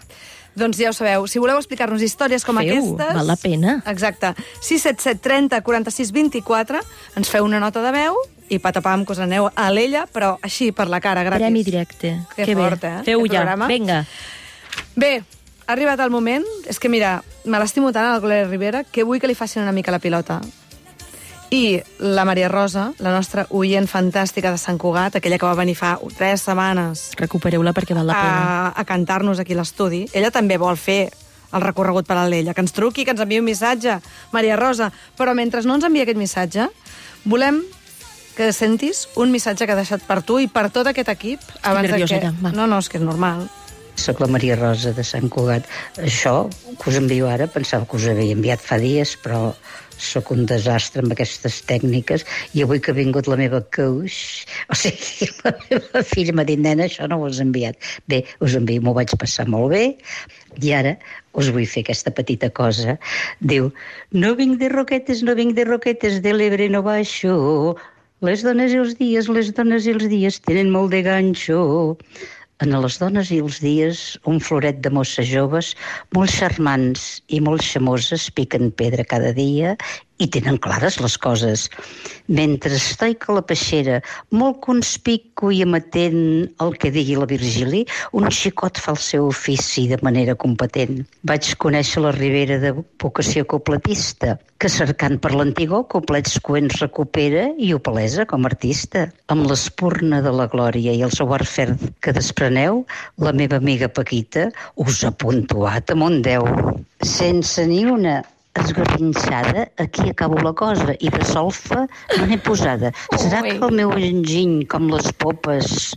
Doncs ja ho sabeu, si voleu explicar-nos històries com Feu, aquestes... val la pena. Exacte. 677 30 46 24, ens feu una nota de veu i patapam, que us aneu a l'ella, però així, per la cara, gratis. Premi directe. Que fort, bé. eh? Feu aquest ja, programa. vinga. Bé, ha arribat el moment. És que, mira, me l'estimo tant a la Glòria Rivera que vull que li facin una mica la pilota. I la Maria Rosa, la nostra oient fantàstica de Sant Cugat, aquella que va venir fa 3 setmanes Recupereu-la perquè val la pena. a cantar-nos aquí a l'estudi, ella també vol fer el recorregut per l'ella, que ens truqui, que ens enviï un missatge, Maria Rosa. Però mentre no ens envia aquest missatge, volem que sentis un missatge que ha deixat per tu i per tot aquest equip. nerviosa ja, va. No, és que és normal. Soc la Maria Rosa de Sant Cugat. Això que us envio ara, pensava que us havia enviat fa dies, però sóc un desastre amb aquestes tècniques, i avui que ha vingut la meva coach, o sigui, la meva filla m'ha dit, nena, això no ho has enviat. Bé, us envio, m'ho vaig passar molt bé, i ara us vull fer aquesta petita cosa. Diu, no vinc de Roquetes, de l'Ebre no baixo, les dones i els dies tenen molt de ganxo. En les dones i els dies, un floret de mosses joves, molt xarmants i molt xamoses, piquen pedra cada dia i tenen clares les coses. Mentre estoic a la peixera, molt conspicu i amatent el que digui la Virgili, un xicot fa el seu ofici de manera competent. Vaig conèixer la Ribera de vocació copletista, que cercant per l'antigor coplets coents recupera i ho palesa com a artista. Amb l'espurna de la glòria i el seu art ferd que despreneu, la meva amiga Paquita us ha puntuat amb un 10. Sense ni una esgarrinxada, aquí acabo la cosa, i de solfa no n'he posada. Serà que el meu enginy, com les popes,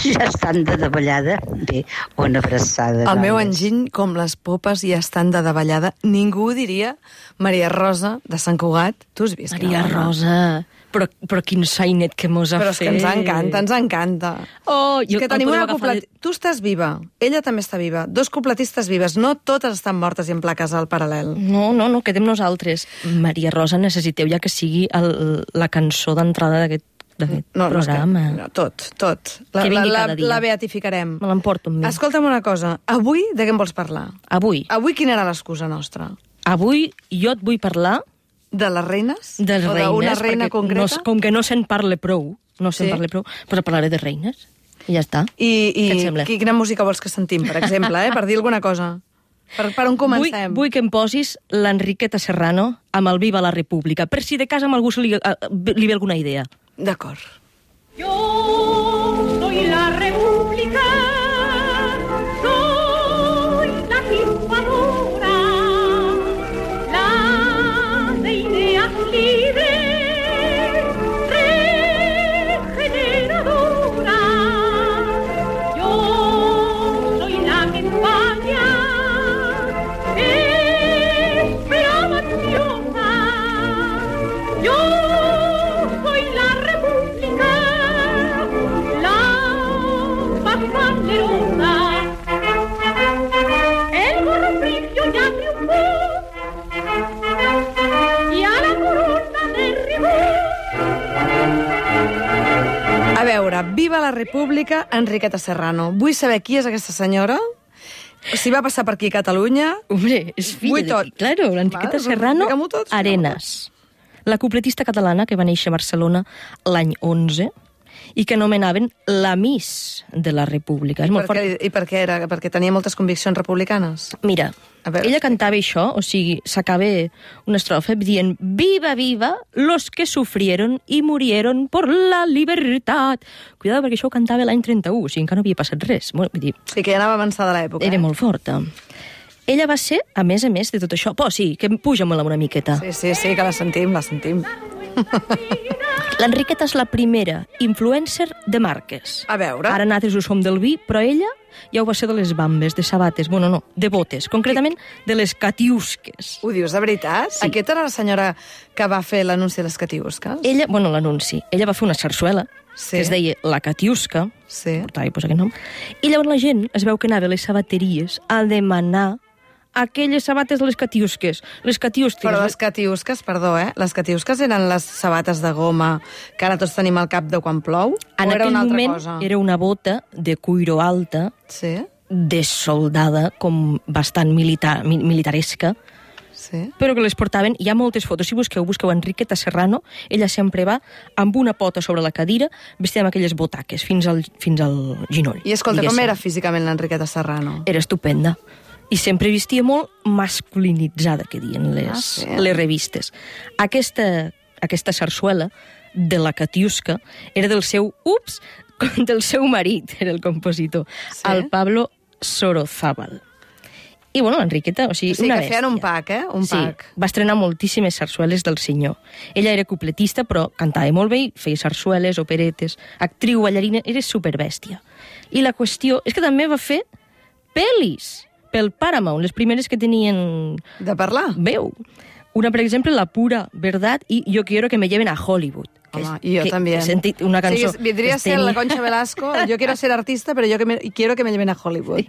ja estan de davallada? Bé, una abraçada. El meu enginy, com les popes, ja estan de davallada. Ningú diria Maria Rosa de Sant Cugat. Tu has vist? Maria Rosa, però quin sainet que mos ha fet. Però és que ens encanta. Oh, és que tenim una copletista. Tu estàs viva, ella també està viva. Dos copletistes vives, no totes estan mortes i en plaques al paral·lel. No, quedem nosaltres. Maria Rosa, necessiteu ja que sigui la cançó d'entrada d'aquest programa. No, tot. Que vingui cada dia. La beatificarem. Me l'emporto amb mi. Escolta'm una cosa, avui de què em vols parlar? Avui quina era l'excusa nostra? Avui jo et vull parlar de les reines? De les reines. O d'una reina concreta? Com que no se'n parla prou, doncs parlaré de reines. I ja està. Què et sembla? Quina música vols que sentim, per exemple, per dir alguna cosa? Per on comencem? Vull que em posis l'Enriqueta Serrano amb el Viva la República, per si de casa amb algú li ve alguna idea. D'acord. Yo soy la República, soy la triunfadora, la de ideas libres, regeneradora. Yo soy la que España esperaba ansiosa. Yo soy la República, la más banderosa. El gorro frigio ya triunfó y a la corona derribó. A veure, Viva la República, Enriqueta Serrano. Vull saber qui és aquesta senyora, si va passar per aquí a Catalunya. Hombre, és filla d'aquí, claro, l'Enriqueta Serrano Arenas. La copletista catalana que va néixer a Barcelona l'any 11 i que anomenaven la Miss de la República. I per què era? Perquè tenia moltes conviccions republicanes? Mira, ella cantava això, o sigui, s'acaba una estrofa dient «Viva, viva los que sufrieron y murieron por la libertad». Cuidado, perquè això ho cantava l'any 31, o sigui, encara no havia passat res. Sí, que ja anava avançada l'època. Era molt forta. Ella va ser, a més de tot això... Sí, que puja-me-la una miqueta. Sí, que la sentim. L'Enriqueta és la primera influencer de marques. A veure. Ara nosaltres ho som del vi, però ella ja ho va ser de les bambes, de sabates, bueno, no, de botes, concretament de les catiusques. Ho dius de veritat? Sí. Aquesta era la senyora que va fer l'anunci de les catiusques? L'anunci. Ella va fer una sarsuela, que es deia La Catiusca, portava aquest nom, i llavors la gent es veu que anava a les sabateries a demanar aquelles sabates de les catiusques. Però les catiusques, perdó, les catiusques eren les sabates de goma que ara tots tenim al cap de quan plou? En aquell moment era una bota de cuiro alta, dessoldada, com bastant militaresca, però que les portaven. Hi ha moltes fotos. Si busqueu Enriqueta Serrano, ella sempre va amb una pota sobre la cadira, vestida amb aquelles botaques fins al ginoll. I escolta, com era físicament l'Enriqueta Serrano? Era estupenda. I sempre vestia molt masculinitzada, que diuen les revistes. Aquesta sarsuela de La Catiusca era del seu marit, era el compositor, el Pablo Sorozábal. I, bueno, l'Enriqueta, o sigui, O sigui, una que bèstia. feien un pack, Un pack. Sí, va estrenar moltíssimes sarsueles del senyor. Ella era cupletista, però cantava molt bé, i feia sarsueles, operetes, actriu, ballarina, era superbèstia. I la qüestió és que també va fer pel·lis pel Paramount, les primeres que tenien... De parlar? Veu. Una, per exemple, La pura verdad i Yo quiero que me lleven a Hollywood. Home, i jo també. He sentit una cançó... Sí, vindria a ser la Concha Velasco, yo quiero ser artista, pero yo quiero que me lleven a Hollywood.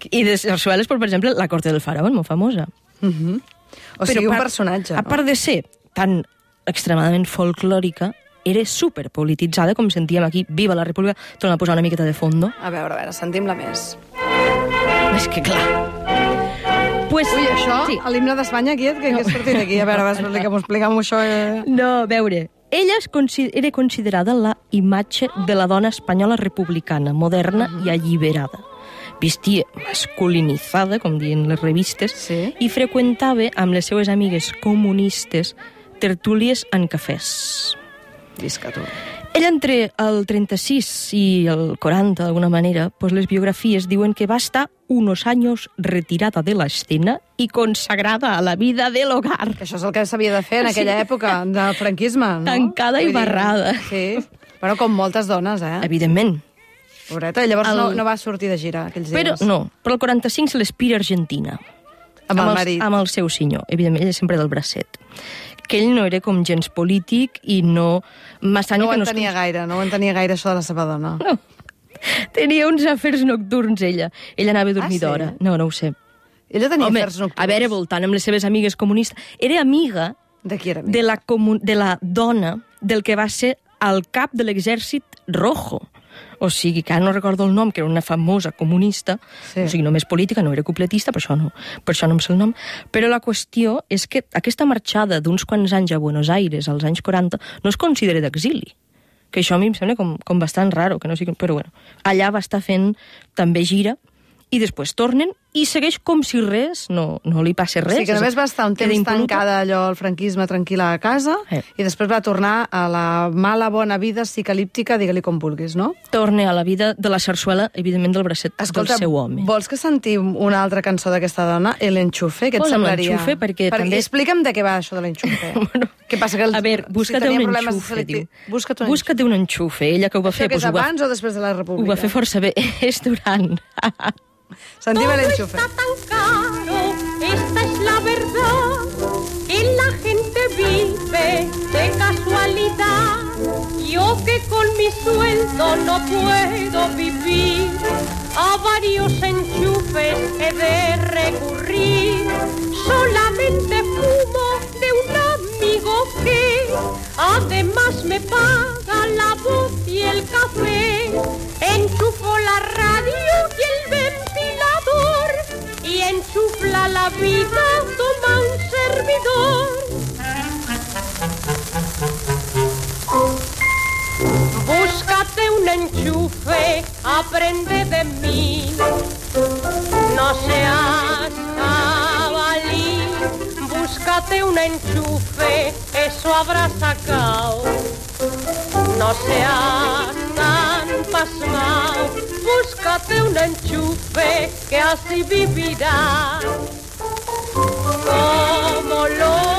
I de sarsueles, per exemple, La corte del faraón, molt famosa. O sigui, un personatge. A part de ser tan extremadament folclòrica, era superpolititzada, com sentíem aquí, Viva la República, torna a posar una miqueta de fondo. A veure, sentim-la més. És que clar... Pues, Ui, això, sí. l'himne d'Espanya aquest, que has sortit aquí? A veure, explica'm això. No, a veure, ella era considerada la imatge de la dona espanyola republicana, moderna i alliberada. Vestia masculinitzada, com diuen les revistes, i freqüentava amb les seues amigues comunistes tertúlies en cafès. Visca tu. Ella, entre el 36 i el 40, d'alguna manera, pues les biografies diuen que va estar unos años retirada de la escena y consagrada a la vida del hogar. Que això és el que s'havia de fer en aquella època del franquisme, no? Tancada i barrada. Sí. Bueno, com moltes dones, Evidentment. Pobreta, i llavors no va sortir de gira aquells dies. Però el 45 se l'espira a Argentina. Amb el marit. Amb el seu senyor. Evidentment, ella sempre del bracet. Que ell no era com gens polític i no... No ho entenia gaire, això de la seva dona. No. Tenia uns afers nocturns, ella. Ella anava a dormir d'hora. No ho sé. Ella tenia afers nocturns? A veure, voltant amb les seves amigues comunistes. Era amiga... De qui era amiga? De la dona del que va ser el cap de l'exèrcit rojo. O sigui, que ara no recordo el nom, que era una famosa comunista, o sigui, només política, no era cupletista, per això no em sé el nom, però la qüestió és que aquesta marxada d'uns quants anys a Buenos Aires, als anys 40, no es considera d'exili, que això a mi em sembla com bastant raro, que no sigui... Però bueno, allà va estar fent també gira, i després tornen i segueix com si res, no li passa res. O sigui que només va estar un temps tancada allò, el franquisme tranquil·la a casa, i després va tornar a la mala bona vida psicalíptica, digue-li com vulguis, no? Torna a la vida de la sarsuela, evidentment del bracet del seu home. Vols que sentim una altra cançó d'aquesta dona, El Enchufe, què et semblaria? L'Enchufe, perquè també... Explica'm de què va això de l'Enchufe. Què passa que... A veure, busca't un enxufe, diu. Busca't un enxufe, ella que ho va fer... Això que és abans o després de la República? Ho va fer força bé, és durant... Sentim El Enchufe. Todo está tan caro, esta es la verdad, que la gente vive de casualidad. Yo que con mi sueldo no puedo vivir, a varios enchufes he de recurrir. Solamente fumo de un amigo que además me paga la voz y el café. Enchufo la radio y el ventilador y enchufla la vida, toma un servidor. Búscate un enchufe, aprende de mí. No seas jabalí, búscate un enchufe, eso habrás sacado. No seas tan pasmao, búscate un enchufe, que así vivirás.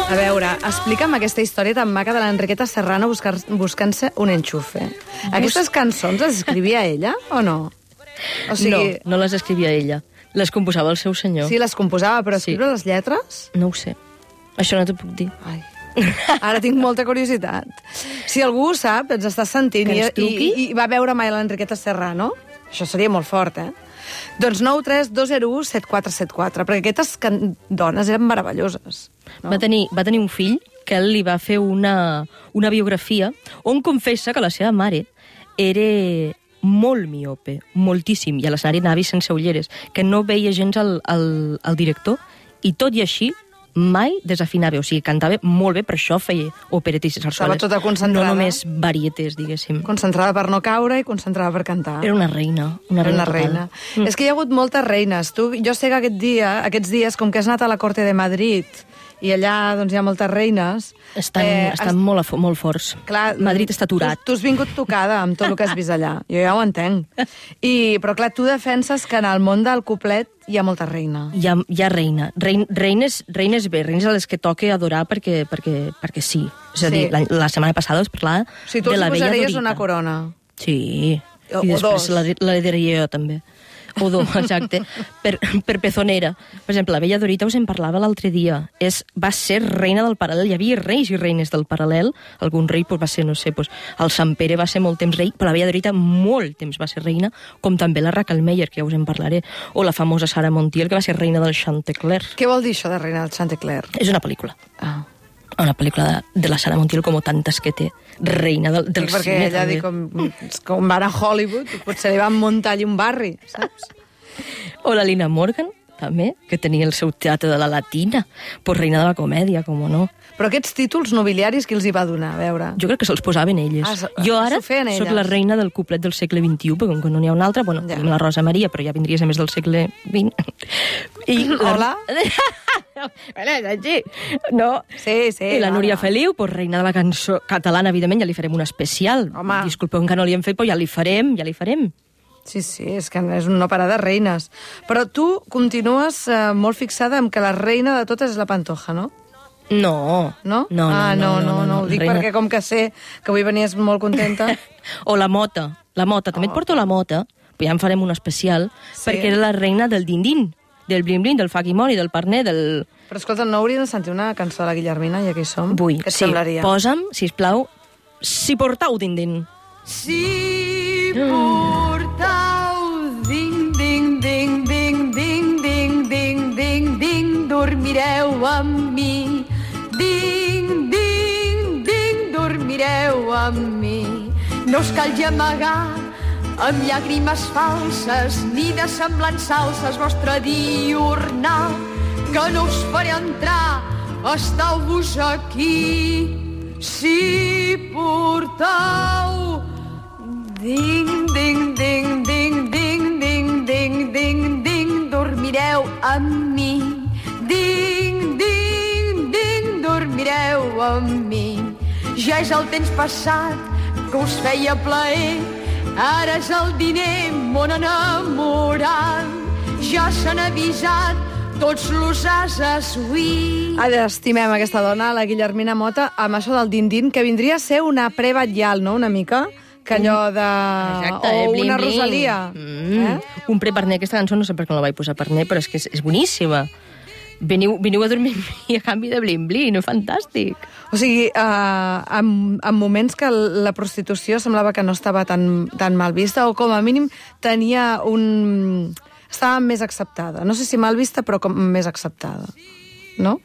A veure, explica'm aquesta història tan maca de l'Enriqueta Serrano buscant-se un enxufe. Aquestes cançons les escrivia ella o no? O sigui... No les escrivia ella. Les composava el seu senyor. Sí, les composava, però escriure les lletres? No ho sé. Això no t'ho puc dir. Ai. Ara tinc molta curiositat. Si algú ho sap, ens està sentint i va veure mai l'Enriqueta Serrano, això seria molt fort, Doncs 932017474, perquè aquestes dones eren meravelloses. No? Va tenir un fill que ell li va fer una biografia on confessa que la seva mare era molt miope, moltíssim, i a l'escenari anava sense ulleres, que no veia gens el director, i tot i així mai desafinava, o sigui, cantava molt bé, per això feia operetes i sarsueles. Estava tota concentrada. No només varietés, diguéssim. Concentrada per no caure i concentrada per cantar. Era una reina. Una reina. És que hi ha hagut moltes reines. Jo sé que aquests dies, com que has anat a la Corte de Madrid i allà doncs, hi ha moltes reines... Estan molt forts. Clar, Madrid està aturat. Tu has vingut tocada amb tot el que has vist allà. Jo ja ho entenc. Però clar, tu defenses que en el món del cuplet hi ha molta reina. Hi ha reina. Reines bé, reines a les que toca adorar perquè sí. És a dir, la setmana passada us parlava de la Bella Dorita. Tu els posaries una corona. Sí. I després l'herederia jo també. O dos, exacte. Per pezonera. Per exemple, la Bella Dorita us en parlava l'altre dia. Va ser reina del paral·lel. Hi havia reis i reines del paral·lel. Algun rei va ser, no sé, el Sant Pere va ser molt temps rei, però la Bella Dorita molt temps va ser reina, com també la Raquel Meyer, que ja us en parlaré, o la famosa Sara Montiel, que va ser reina del Chantecler. Què vol dir això de reina del Chantecler? És una pel·lícula. Una pel·lícula de la Sara Montiel, com tantes que té, reina del cine. Perquè ella diu com van a Hollywood, potser li van muntar allà un barri, saps? O la Lina Morgan, també, que tenia el seu teatre de la Latina, reina de la comèdia, com no. Però aquests títols nobiliaris qui els hi va donar, a veure? Jo crec que se'ls posaven elles. Jo ara soc la reina del cuplet del segle XXI, perquè com que no n'hi ha una altra, tenim la Rosa Maria, però ja vindria a ser més del segle XX. Hola? No. Sí. I la Núria Feliu, reina de la cançó catalana, evidentment, ja li farem un especial. Home. Disculpeu que no li hem fet, però ja li farem. Sí, és que és un no parar de reines. Però tu continues molt fixada en que la reina de totes és la Pantoja, no? No. No? No, ho dic perquè com que sé que avui venies molt contenta. O la Mota. També et porto la Mota, però ja en farem un especial, perquè era la reina del din-din, del blin-blin, del faquimoni, del parner, del... Però escolta, no hauríem de sentir una cançó de la Guillermina, ja que hi som? Vull, què et semblaria? Posa'm, sisplau, Si portau din-din. Si portau ding-ding-ding-ding-ding-ding-ding-ding, dormireu amb mi. Ding-ding-ding, dormireu amb mi. No us cal amagar amb llàgrimes falses ni de semblants salses vostre diurnal, que no us faré entrar, esteu-vos aquí. Si portau ding-ding-ding-ding-ding-ding-ding-ding, dormireu amb mi. Ding-ding-ding, dormireu amb mi. Ja és el temps passat que us feia plaer, ara és el diner, mon enamorat. Ja s'han avisat tots los ases avui. Estimem aquesta dona, la Guillermina Mota, amb això del din-din, que vindria a ser una pre-batllal, no?, una mica, que allò de... Exacte, o bling, una bling. Rosalia. Un pre-parner, aquesta cançó no sé per què no la vaig posar parner, però és que és boníssima. Veniu a dormir amb mi a canvi de blin-blin, fantàstic. O sigui, en moments que la prostitució semblava que no estava tan mal vista, o com a mínim tenia un... estava més acceptada. No sé si mal vista, però com més acceptada. No?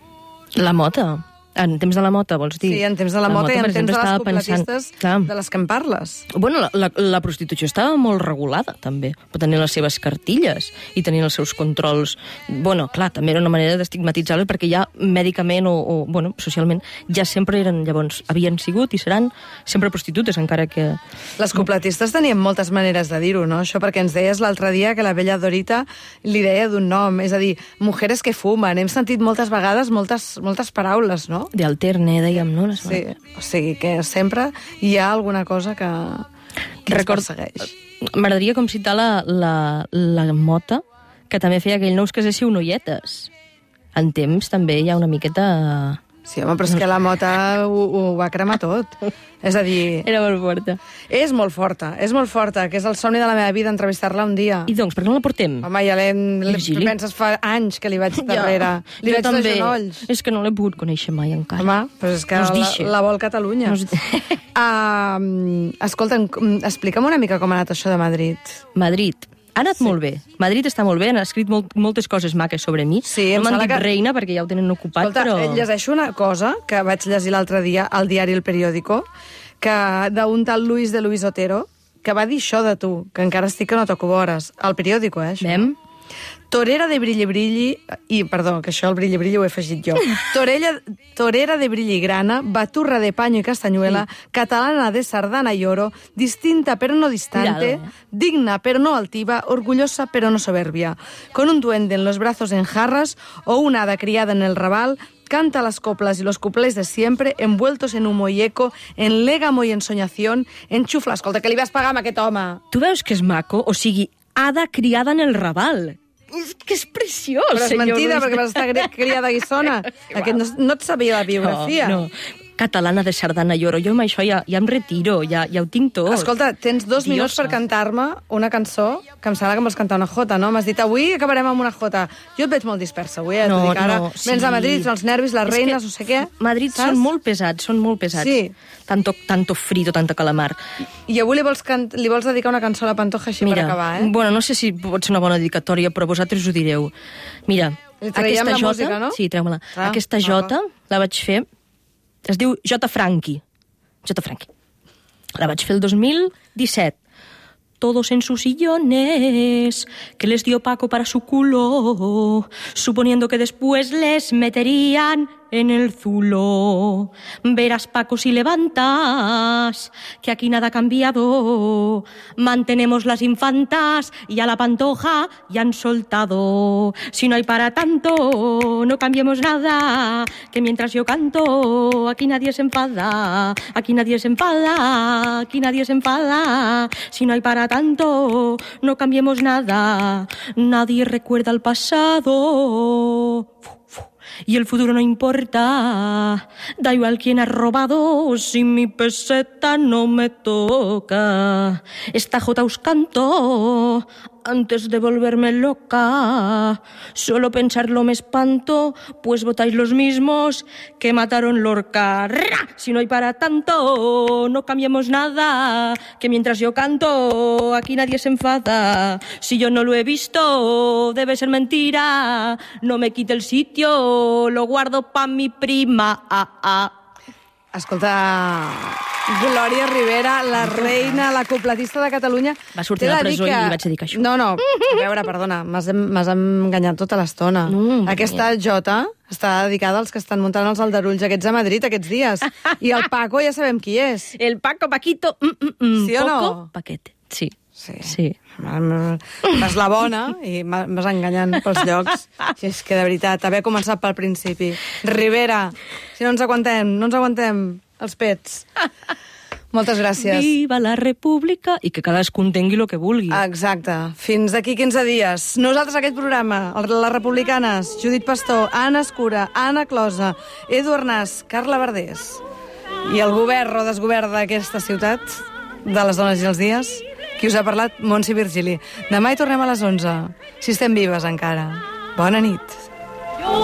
La Mota. En temps de la Mota, vols dir? Sí, en temps de la Mota i en temps de les cupletistes de les que en parles. Bueno, la prostitució estava molt regulada, també. Però tenien les seves cartilles i tenien els seus controls. Bueno, clar, també era una manera d'estigmatitzar-les perquè ja mèdicament o socialment ja sempre eren, llavors, havien sigut i seran sempre prostitutes, encara que... Les cupletistes tenien moltes maneres de dir-ho, no? Això perquè ens deies l'altre dia que la Bella Dorita li deia d'un nom, és a dir, mujeres que fumen. Hem sentit moltes vegades moltes paraules, no? De alterne, dèiem, no? Sí, o sigui que sempre hi ha alguna cosa que ens persegueix. M'agradaria com citar la Mota, que també feia aquell no us caséssiu noietes. En temps també hi ha una miqueta... Sí, home, però és que la Mota ho va cremar tot. És a dir... Era molt forta. És molt forta, que és el somni de la meva vida, entrevistar-la un dia. I doncs, per què no la portem? Home, ja penses fa anys que li vaig darrere. Li vaig de genolls. És que no l'he pogut conèixer mai encara. Home, però és que la vol Catalunya. Escolta, explica'm una mica com ha anat això de Madrid. Madrid. Ha anat molt bé. Madrid està molt bé, han escrit moltes coses maques sobre mi. Sí, no m'han dit reina perquè ja ho tenen ocupat, escolta, però... llegeixo una cosa que vaig llegir l'altre dia al diari El Periódico, que d'un tal Luis de Luis Otero, que va dir això de tu, que encara estic que no toco vores. Al Periódico, això. Vem? Torera de brilli brilli... Perdó, que això el brilli brilli ho he afegit jo. Torera de brilli grana, baturra de paño y castañuela, catalana de sardana y oro, distinta pero no distante, digna pero no altiva, orgullosa pero no soberbia. Con un duende en los brazos en jarras o una hada criada en el Raval, canta las coplas y los cuplés de siempre, envueltos en humo y eco, en légamo y ensoñación, en xufla. Escolta, que li vas pagar amb aquest home? Tu veus que és maco? O sigui, hada criada en el Raval. És que és preciós, Però és senyor mentida, Luis. perquè vas estar criada a Guissona. Aquest no et sabia la biografia. No. Catalana de sardana i oro. Jo amb això ja em retiro, ja ho tinc tot. Escolta, tens 2 minuts per cantar-me una cançó que em sembla que em vols cantar una jota, no? M'has dit, avui acabarem amb una jota. Jo et veig molt dispersa avui, t'ho dic ara. Vens a Madrid, els nervis, les reines, no sé què. Madrid saps? són molt pesats. Sí. Tanto frito, tanto calamar. I avui li vols dedicar una cançó a la Pantoja així per acabar, Bueno, no sé si pot ser una bona dedicatòria, però vosaltres ho direu. Mira, aquesta jota... música, no? Sí, treu-me-la. Aquesta jota la vaig fer... Es diu Jota Franqui. Jota Franqui. La vaig fer el 2017. Todos en sus sillones que les dio Paco para su culo, suponiendo que después les meterían en el zulo. Verás, Paco, si levantas, que aquí nada ha cambiado. Mantenemos las infantas y a la Pantoja ya han soltado. Si no hay para tanto, no cambiemos nada, que mientras yo canto, aquí nadie se enfada, aquí nadie se enfada, aquí nadie se enfada. Si no hay para tanto, no cambiemos nada, nadie recuerda el pasado. Y el futuro no importa, da igual quién ha robado, si mi peseta no me toca. Esta jota os canto antes de volverme loca. Solo pensarlo me espanto, pues votáis los mismos que mataron Lorca. ¡Ra! Si no hay para tanto, no cambiemos nada, que mientras yo canto, aquí nadie se enfada. Si yo no lo he visto, debe ser mentira. No me quite el sitio, lo guardo pa' mi prima. Escolta, Glòria Rivera, la reina, la copletista de Catalunya... Va sortir de la presó i li vaig dedicar això. No, a veure, perdona, m'has enganyat tota l'estona. Aquesta jota està dedicada als que estan muntant els aldarulls aquests a Madrid aquests dies. I el Paco ja sabem qui és. El Paco Paquito. Sí o no? Poco Paquete, sí. Vas la bona i vas enganyant pels llocs. Si és que, de veritat, haver començat pel principi. Rivera, si no ens aguantem els pets. Moltes gràcies. Viva la república i que cadascú entengui el que vulgui. Exacte. Fins d'aquí 15 dies. Nosaltres aquest programa, les republicanes, Judit Pastor, Anna Escura, Anna Closa, Edu Arnàs, Carla Verdés i el govern o desgovern d'aquesta ciutat, de les dones i els dies, qui us ha parlat, Montse Virgili. Demà hi tornem a les 11, si estem vives encara. Bona nit. Yo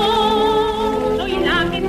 soy la que